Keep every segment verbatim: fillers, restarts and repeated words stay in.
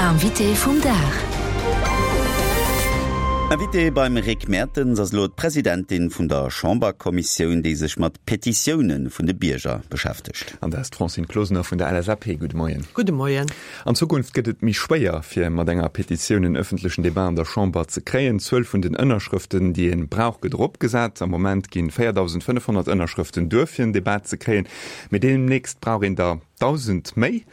L'invité vum Dag. Invité beim Rick Mertens ass elo d'Presidentin vun der Chamberkommissioun, déi sech mat Petitioune vun de Bierger beschäftegt. An dat ass d'Francine Closener vun der L S A P. Gudde Moien. Gudde Moien. An Zukunft gëtt et méi schwéier, fir mat enger Petitioun en ëffentlechen Debat an der Chamber ze kréien. D'Zuel vun den Ënnerschrëften, déi ee brauch, gëtt eropgesat. Am Moment ginn véierdausendfënnefhonnert Ënnerschrëften duer, fir en Debat ze kréien, mee deemnächst brauch een der dausend méi.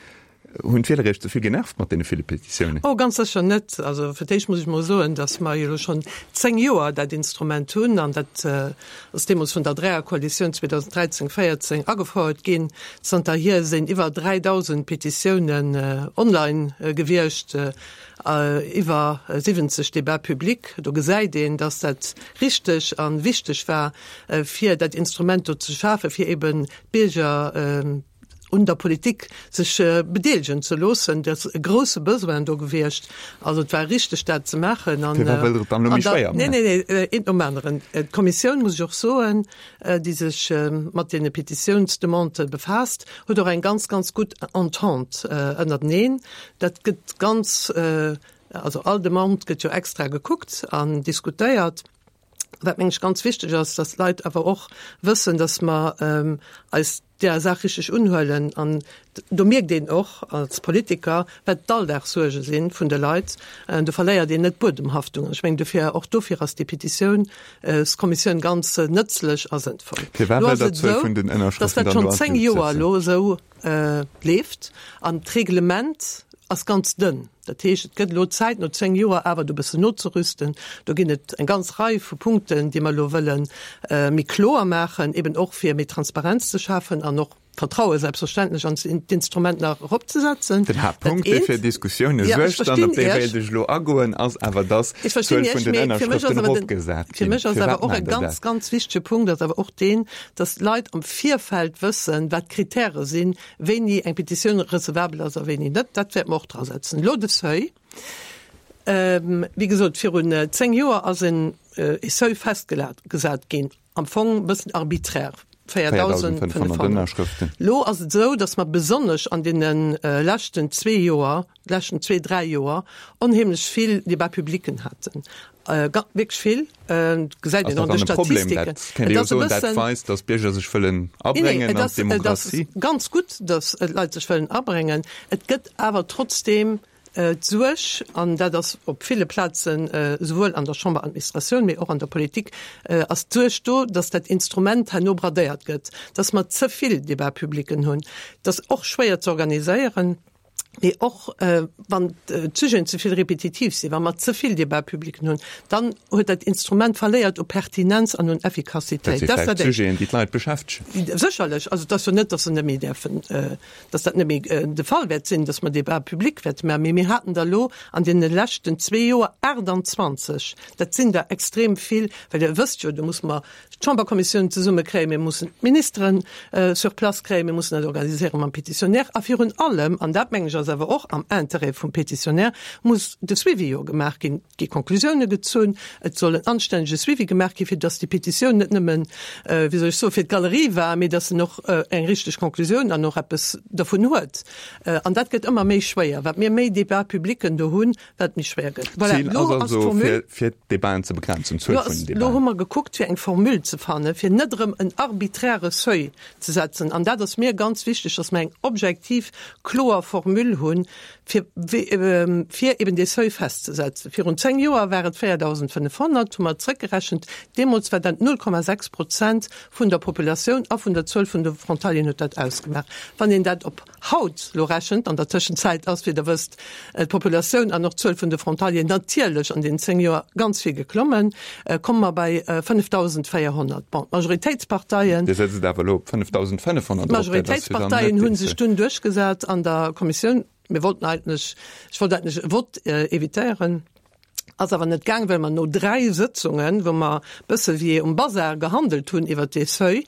Hunn d'Wieler Iech ze vill genervt mat deene ville Petitiounen? Oh, ganz sécher net. Also fir d'éischt muss ech mol soen, datt mer jo elo schonn zéng Joer dat Instrument hunn an dat ass deemools vun der Dräierkoalitioun zweedausenddräizéng, véierzéng agefouert ginn. Zanterhier sinn iwwer dräidausend Petitiounen online gewiescht, iwwer siwwenzeg Débats publics. Do gesäit een, datt dat richteg a wichteg war, fir dat Instrument do ze schafen, fir eben d'Bierger un der Politik sech bedeelegen ze loossen. Et ass e grousse Besoin do gewiescht. Also et war richteg, dat ze maachen. An, Firwat wëllt Der et dann elo méi schwéier maachen? Nee, nee, nee, eent nom aneren. D'Kommissioun, muss ech och soen, déi sech mat deene Petitiounsdemandë befaasst, huet och eng ganz, ganz gutt Entente ënnerteneen. Dat gëtt ganz, also all Demande gëtt jo extra gekuckt an diskutéiert. Wat mengen ech ganz wichteg ass, dass d'Leit awer och wëssen, dass mer eis där Saach richteg unhuelen. An do mierkt een och als Politiker, wat d'Alldagssuerge si vun de Leit. Do verléiert een net d'Buedemhaftung. An ech mengen dofir, och dofir ass déi Petitiounskommissioun ganz nëtzlech a sënnvoll. Firwat Elo wëllt ass Der et d'Zuel esou, vun den dass Ënnerschrëften dat dann schonn elo an zéng d'Luucht Joer setzen? elo esou leeft an d'Reglement ass ganz dënn. Dat heescht, et gëtt elo Zäit, no zéng Joer awer do e bëssen nozerüsten. Do ginn et eng ganz Rei vu Punkten, déi mer elo wëlle méi kloer maachen, eben och fir méi Transparenz ze schafen an och d'Vertraue selbstverständlech an d'Instrument nach eropzesetzen. Den Dat Haaptpunkt, dee eent. fir Diskussioune Ja, ech suergt an op verstinn dee Iech. wéilt ech elo agoen, ass awer, dass Ech verstinn d'Zuel vun Iech, den mee fir mech ass Ënnerschrëften awer den, eropgesat fir ginn. mech ass awer Firwat och e maacht Der ganz, dat? ganz wichtege Punkt ass awer och deen, dass d'Leit am Virfeld wëssen, wat d'Kritäre sinn, wéini eng Petitioun recevabel ass a wéini net. Dat wäerte mer och drasetzen. Elo de Seuil. Wéi gesot, virun zéng Joer ass en e Seuil festgesat ginn, am Fong e bëssen arbiträr, véierdausendfënnefhonnert. Elo ass et esou, datt mer besonnesch an deene leschten zwee Joer, leschten zwee, dräi Joer onheemlech vill Débat-publicen haten. Wierklech vill, gesäit een an de Statistiken. Dat kéint ee jo soen, dat weist, datt d'Bierger sech wëllen abréngen an d'Demokratie. Et ass ganz gutt, datt d'Leit sech wëllen abréngen. Et gëtt awer trotzdeem d'Suerg, an dat ass op ville Plazen, esouwuel an der Chamberadministratioun, mee och an der Politik, ass d'Suerg do, datt dat Instrument herno bradéiert gëtt, datt mer ze vill Débat-publicen hunn. Dat ass och schwéier ze organiséieren. Mee och wann d'Sujeten ze vill repetitiv sinn, wa mer ze vill Débat-publicen hunn, dann huet dat Instrument verléiert u Pertinenz an un Effikassitéit. Dat si vläicht Sujeten, déi d'Leit beschäftegen. Sécherlech. Also et ass jo net, datt se net méi däerfen, datt dat net méi de Fall wäert sinn, datt mer Débat-public wäerte maachen. Mee mir haten der elo an deene leschten zwee Joer aachtanzwanzeg. Dat sinn der extrem vill, well Dir wësst jo, do muss mer d'Chamberkommissioun zesummekréien, mir mussen d'Ministeren sur place kréien, mir mussen dat organiséiere mam Pétitionnaire a virun allem, an dat mengen ech ass awer och am Intérêt vum Pétitionnaire, muss de Suivi jo gemaach ginn. Et gi Konklusioune gezunn, et soll en anstännege Suivi gemaach ginn, fir datt déi Pétitioun net nëmmen, wéi soll ech soen, fir d'Galerie war, mee datt en och eng richteg Konklusioun an och eppes dervun huet. An dat gëtt ëmmer méi schwéier. Wat mir méi Débat-publicen do hunn, wat méi schwéier gëtt. Voilà, D'Zil elo ass ass also, d'Formule. fir, fir d'Debaten ze begrenzen, d'Zuel Elo vun ass, den elo Debaten. hu mer gekuckt, fir eng Formule ze fannen, fir net erëm en arbiträre Seuil ze setzen. An dat ass mir ganz wichteg, dass mer eng objektiv, kloer Formule hunn, fir, fir eben dee Seuil festzesetzen. Virun zéng Joer war et véierdausendfënnefhonnert, hu mer zrëckgerechent. Deemools war dat null Komma sechs Prozent vun der Populatioun a vun der Zuel vun de Frontalieren huet dat ausgemaach. Wann een dat op haut elo rechent, an der Tëschenzäit ass, wéi Der wësst, d'Populatioun an och d'Zuel vun de Frontalieren natierlech an deenen zéng Joer ganz vill geklommen, komme mer bei fënnefdausendvéierhonnert. Bon, d'Majoritéitsparteien. Dir setzt et awer elo op fënnefdausendfënnefhonnert erop, dat ass jo dann net D'Majoritéitsparteien hu dee sech Seuil. dunn duerchgesat an der Kommissioun. Mir wollten eigentlech, ech wollt eigentlech e Vott évitéieren. Ass awer net gaang, well mer no dräi Sëtzungen, wou mer bësse wéi um Bazar gehandelt hunn iwwert dee Seuil,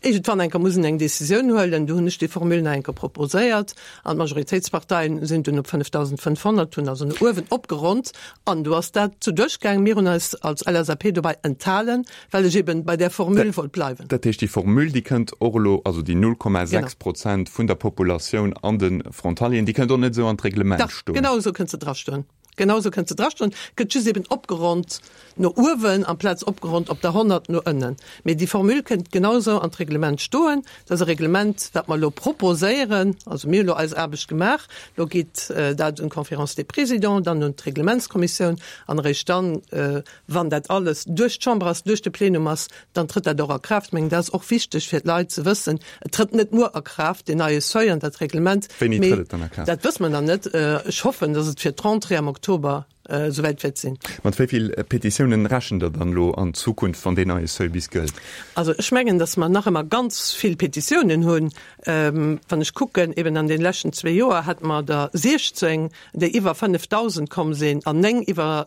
iergendwann eng Kéier mussen eng Decisioun huelen. Du hunn ech déi Formule nach eng Kéier proposéiert an d'Majoritéitsparteien sinn dunn op fënnefdausendfënnfhonnert, hunn also no uewen opgeronnt an du ass dat zu duerchgaang. Mir hunn eis als L S A P dobäi enthalen, well ech eben bei där Formule wollt bleiwen. Dat heescht, déi Formule, déi kënnt och elo, also déi null Komma sechs Prozent vun der Populatioun an de Frontalieren, déi kënnt och net esou an d'Reglement stoen? Dach, genau esou kënnt se drastoen. Genau esou kënnt se drastoen, gëtt just eben opgeronnt no uewen amplaz opgeronnt op der honnert no ënnen. Mee déi Formule kënnt genau esou an d'Reglement stoen. Dat ass e Reglement, wat mer elo proposéieren. Also mir hu lo eis Aarbecht gemaach, lo geet dat un d'Conférence des Présidents, dann un d'Reglementskommissioun an eréischt dann, wann dat alles duerch d'Chamber ass, duerch de Plenum ass, dann trëtt dat och a Kraaft. Ech mengen, dat ass och wichteg fir d'Leit ze wëssen, Et trëtt net muer a Kraaft, deen neie Seuil an dat Reglement. Wéini trëtt et dann a Kraaft? Dat wësse mer nach net. Ech hoffen, dass et fir d'Rentrée am Oktober esouwäit wäert sinn. Mat wéi vill Petitiounen rechent Der dann elo an Zukunft, wann deen neie Seuil bis gëllt? Also ech mengen, dass mer nach ëmmer ganz vill Petitiounen hunn. Wann ech kucken, eben an de leschten zwee Joer hate mer der siechzéng, déi iwwer fënnefdausend komm sinn an néng iwwer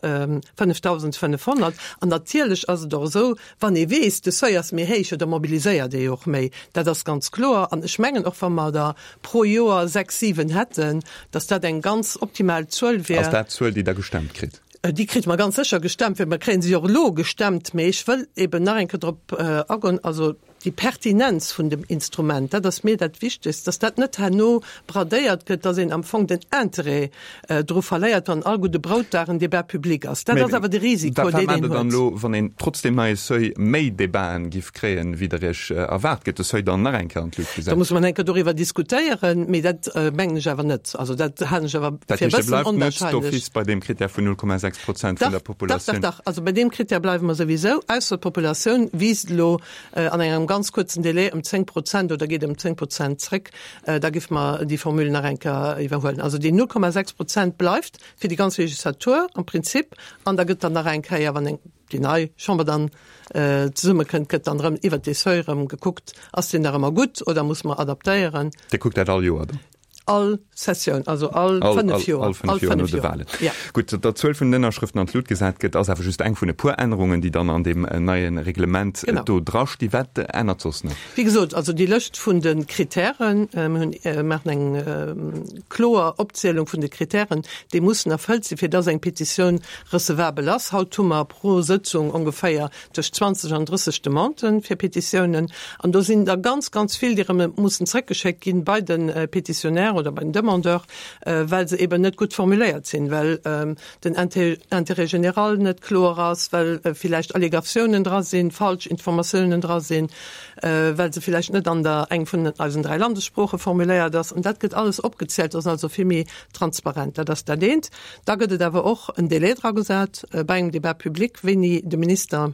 fënnefdausendfënnefhonnert. An natierlech ass et och esou, wann ee weess, de Seuil ass méi héich, jo da mobiliséiert ee jo och méi. Dat ass ganz kloer. An ech mengen och, wa mer der pro Joer sechs, siwen hätten, dass dat eng ganz optimal Zuel wier. Ass dat d'Zuel, déi Der gestemmt kritt? Déi kritt mer ganz sécher gestemmt, well mer kréie se jo och elo gestemmt. Mee ech wëll eben nach eng Kéier drop agoen, also déi Pertinenz vun dem Instrument, dat ass mir dat Wichtegst, dass dat net herno bradéiert gëtt, dass een am Fong den Interêt dru verléiert, wann all gudde Broutdag en Débat public ass. Dat ass awer de Risiko, deen een huet. Wat maacht Der dann elo, wann een trotz deem neie Seuil méi Débaten giff kréien, wéi Der Iech erwaart? Gëtt de Seuil dann nach eng Kéier an d'Luucht gesat? Da musse mer nach eng Kéier doriwwer diskutéieren, mee dat mengen ech awer net. Also dat halen ech awer fir e bëssen onwahrscheinlech. Dat heescht, Dir bleift net d'office bei deem Critère vun null Komma sechs Prozent vun der Populatioun? Dach, dach, dach. Also bei deem Critère bleiwe mer souwisou, ausser d'Populatioun wiisst elo an engem ganz kuerzen Délai ëm zéng Prozent oder geet ëm zéng Prozent zréck, da géife mer déi Formule nach eng Kéier iwwerhuelen. Also déi null Komma sechs Prozent bleift fir déi ganz Legislatur am Prinzip an da gëtt dann nach eng Kéier, wann eng déi nei Chamber dann zesummekënnt, gëtt dann erëm iwwert dee Seuil erëm gekuckt, ass deen nach ëmmer gutt oder muss mer adaptéieren. Dir kuckt dat all Joer dann? All Sessioun, also all fënnef Joer. All fënnef Joer no de Wahlen. Ja. Gutt, datt d'Zuel vun den Ënnerschrëften an d'Lut gesat gëtt, ass awer just eng vun e puer Ännerungen, déi dann an deem neie Reglement do drasti. Wat ännert soss nach? Wéi gesot, also déi Lëscht vun de Kritären, mir hunn, maachen eng kloer Opzielung vun de Kritären, déi mussen erfëllt sinn, fir dass eng Petitioun recevabel ass. Haut hu mer pro Sëtzung ongeféier tëscht zwanzeg an drësseg Demandë fir Petitiounen. An do sinn der ganz, ganz vill, déi erëm mussen zrëckgeschéckt ginn bei de Petitionnaire oder bei den Demandeur, well se eben net gutt formuléiert sinn, well den Intérêt général net kloer ass, well villäicht Allégatiounen dra sinn, falsch Informatiounen dra sinn, well se villäicht net an der eng vun eisen dräi Landessprooche formuléiert ass. An dat gëtt alles opgezielt, ass also vill méi transparent. Dat ass dat eent. Da gëtt et awer och en Délai dragesat bei engem Débat public, wéini de Minister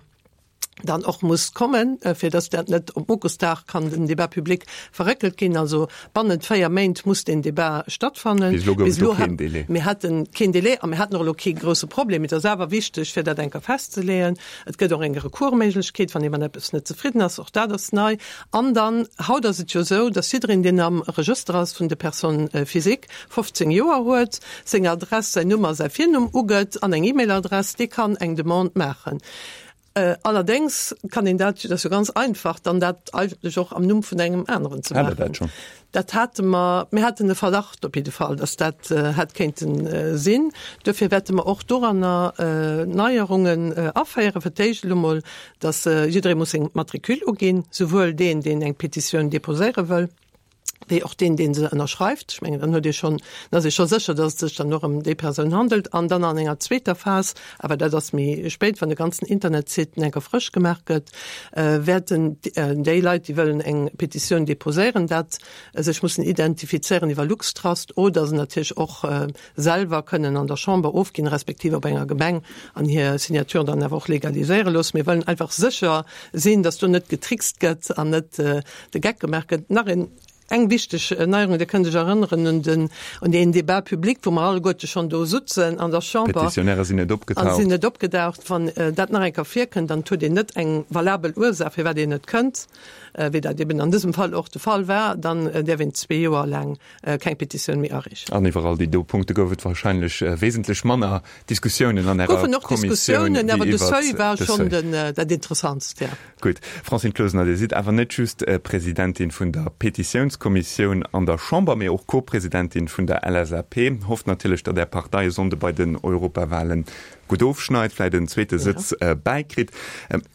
dann och muss kommen, fir dass dat net op Muckesdag kann den Débat public verréckelt ginn. Also bannent véier Méint muss deen Débat stattfannen. Bis elo gouf et do keen Délai. Mir hate keen Délai a mir haten och elo kee grouse Problem. Mee et ass awer wichteg, fir dat eng Kéier festzeleeën. Et gëtt och eng Recoursméiglechkeet, wann ee mat eppes net zefridden ass. Och dat ass nei. An dann, haut ass et jo esou, dass jiddereen, deen am Regëster ass vun de Personnes physiques, fofzéng Joer huet, seng Adress, säin Numm a säi Virnumm ugëtt an eng E-Mail-Adress, dee kann eng Demande maachen. Allerdéngs kann een dat, dat ass jo ganz einfach, dann dat eigentlech och am Numm vun engem aneren ze Hat Der dat maachen. schonn? Dat hate mer, mir haten e Verdacht op jidde Fall, dass dat hätt kéinte sinn. Duerfir wäerte mer och doranner Neierungen aféieren. Fir d'éischt elo mol, dass jidderee muss seng Matricule uginn, souwuel deen, deen eng Petitioun déposéiere wëll, wéi och deen, dee se ënnerschreift. Ech mengen, dann huet ee schonn, dann ass ee scho sécher, dass et sech dann och ëm déi Persoun handelt. An dann an enger zweeter Phas, awer dat ass méi spéit, wann de ganzen Internetsite enker frësch gemaach gëtt, wäerten déi Leit, déi wëllen eng Petitioun deposéieren, dat sech mussen identifizéieren iwwer LuxTrust oder se natierlech och selwer kënnen an der Chamber ofginn, respektiv op enger Gemeng an hir Signature dann awer och legaliséiere loossen. Mir wëllen einfach sécher sinn, dass do net getrickst gëtt an net de Geck gemaach gëtt. Nach een, eng wichteg Neierung, Dir kënnt Iech erënneren un den, un deen Débat public, wou mer alleguerte schonn do sutzen an der Chamber. D'Petitionäre sinn net opgetaucht. A sinn net opgedaucht. Wann dat nach eng Kéier virkënnt, dann huet een net eng valabel Ursaach, firwat een net kënnt. wéi dat eben an dësem Fall och de Fall war, dann däerf een zwee Joer laang keng Petitioun méi areechen. An iwwer all déi do Punkte gouf et wahrscheinlech wesentlech manner Diskussiounen an Ärer Goufen och Kommissioun Diskussiounen, wéi awer de iwwert Seuil war de schonn Seuil. den, dat Interessantst, ja. Gutt. Francine Closener, Dir sidd awer net just Presidentin vun der Petitiounskommissioun an der Chamber, mee och Co-Presidentin vun der L S A P. Hofft natierlech, datt Är Partei e Sonnde bei den Europawahlen gutt ofschneit, vläit en zweete Sëtz bäikritt.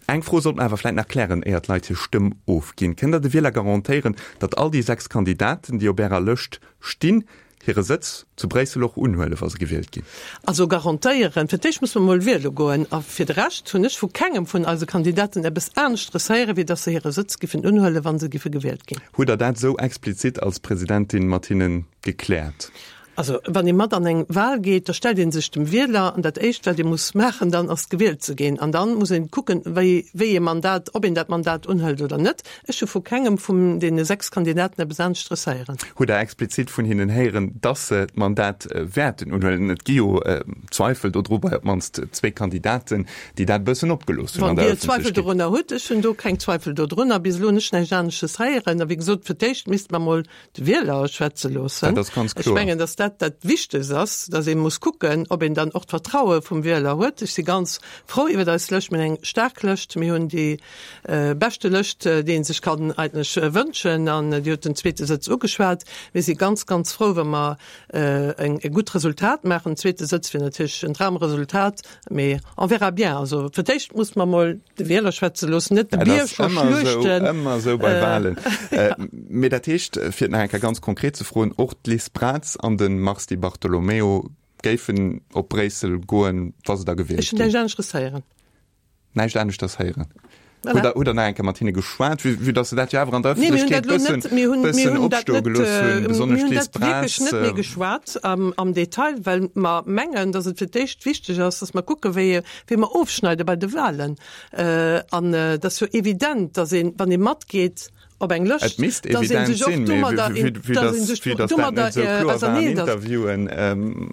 Eng Fro sollt mer awer vläit nach klären, éier d'Leit hir Stëmm ofginn. Kënnt Der de Wieler garantéieren, datt all déi sechs Kandidaten, déi op Ärer Lëscht stinn, hire Sëtz zu Bréissel och unhuelen, wa se gewielt ginn? Also garantéieren, fir d'éischt muss mer emol wiele goen. A fir de Rescht hunn ech vu kengem vun eise Kandidaten eppes aneschteres héieren, wéi datt se hire Sëtz giffen unhuelen, wa se giffe gewielt ginn. Hutt Der dat esou explizit als Presidentin mat hinnen gekläert? Also, wann ee mat an eng Wahl geet, da stellt ee sech dem Wieler an dat Éischt, wat ee muss maachen dann, ass gewielt ze ginn. An dann muss een kucken, wéi, wéi ee Mandat, ob een dat Mandat unhëlt oder net. Ech hu vu kengem vun deene sechs Kandidaten eppes aneschteres héieren. Hutt Der explizit vun hinnen héieren, dass se d'Mandat wäerten unhuelen? Et gi jo Zweifel dodru bei op d'mannst zwee Kandidaten, déi dat e bëssen opgelooss hunn Wann an der Dir Zweifel Ëffentlechkeet. dorunner hutt, ech hunn do keng Zweifel dodrunner. Bis elo hunn ech näischt aneschtes héieren. A wéi gesot, fir d'éischt misste mer emol de Wieler schwätze loossen. Dat ass ganz Ech kloer. mengen, dass dat dat Wichtegst ass, dass ee muss kucken, ob een dann och d'Vertraue vum Wieler huet. Ech si ganz frou iwwer eis Lëscht. Mir hunn eng staark Lëscht. Mir hunn déi beschte Lëscht, déi ee sech kann eigentlech wënschen. An Dir hutt den zweete Sëtz ugeschwat. Mir si ganz, ganz frou, wa mer eng e gutt Resultat maachen. Den zweete Sëtz wier natierlech en Dramresultat, mee on verra bien. Also fir d'éischt muss mer mol de Wieler schwätze loossen, net de Dat Bier ass scho ëmmer esou, schluechten. ëmmer esou bei Wahlen. Mee dat heescht, fir et nach eng Kéier ganz konkret ze froen, och d'Liz Braz an de Mars Di Bartolomeo géifen op Bréissel goen, wa se da gewielt Ech hunn ginn? näischt aneschters héieren. Näischt aneschters héieren? Voilà. Hutt Der, hutt Der nach eng Kéier mat hinne geschwat, vue, vue dass se dat jo awer an der Nee, mir hunn Ëffentlechkeet dat elo bëssen, net, mir hunn, mir bëssen hunn dat opstoe net, gelooss hunn, mir besonnesch hunn d'Liz dat wierklech Braz. net méi geschwat am, am Detail, well mer mengen, dass et fir d'éischt wichteg ass, dass mer kucke wéi, wéi mer ofschneide bei de Wahlen. Äh, an äh, dat ass jo evident, dass een, wann ee matgeet op eng Lëscht, Et misst dass een evident sech och sinn, mee domadder, vue, vue, vue dass een dass, sech vue dass dat domadder net esou äh, kloer war an auserneesetzt. Interviewen, ähm,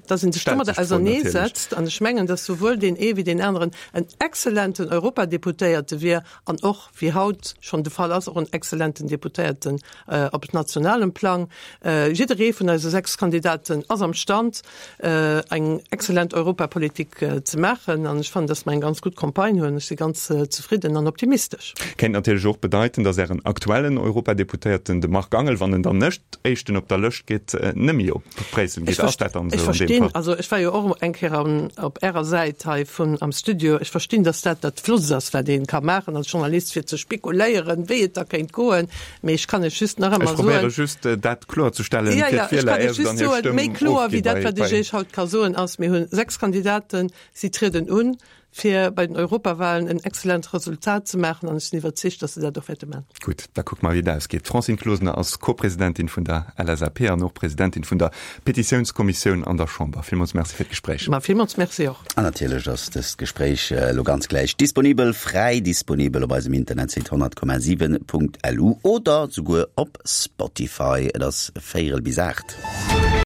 dass een sech stellt domadder sech d'Fro natierlech. auserneesetzt. An ech mengen, dass souwuel deen ee wéi deen aneren en exzellenten Europadeputéierte wier an och, wéi haut schonn de Fall ass, och en exzellenten Deputéierten äh, op nationalem Plang. Äh, jidderee vun eise sechs Kandidaten ass am Stand, äh, eng exzellent Europapolitik äh, ze maachen. An ech fannen, dass mer eng ganz gutt Campagne hunn. Ech si ganz äh, zefridden an optimistesch. Kéint natierlech och bedeiten, dass Ären aktuellen Europadeputéierten, de Marc Angel, wann en dann net Éischten op der Lëscht geet, äh, nëmme op Bréissel Ech geet. Ass dat dann ech esou an deem verstinn, Fall? also ech war jo och eng Kéier am, op Ärer Säit hei vun am Studio. Ech verstinn, dass dat dat Flottst ass, wat een ka maachen als Journalist, fir ze spekuléieren, wéi et da kéint goen. Mee ech kann et just nach Ech ëmmer probéiere soen. just, äh, dat kloerzestellen, Ja, fir ja, ech d'Wieler, kann éier et se just dann hir soen, Stëmm méi kloer ofgi wéi dat, bei, wat ech bei Iech haut ka soen, ass, mir hunn sechs Kandidaten, si trieden un, fir bei den Europawahlen en exzellent Resultat ze maachen an ech sinn iwwerzeegt, dass se dat och wäerte maachen. Gutt, da kucke mer, wéi dat ausgeet. D'Francine Closener ass Co-Presidentin vun der L S A P an och Presidentin vun der Petitiounskommissioun an der Chamber. Villmools Merci fir d'Gespréich. Ma villmools Merci och. An natierlech ass dëst Gespréich elo ganz gläich disponibel, fräi disponibel op eisem Internetsite honnert Komma siwen Punkt L U oder souguer op Spotify. Et ass véierel bis aacht.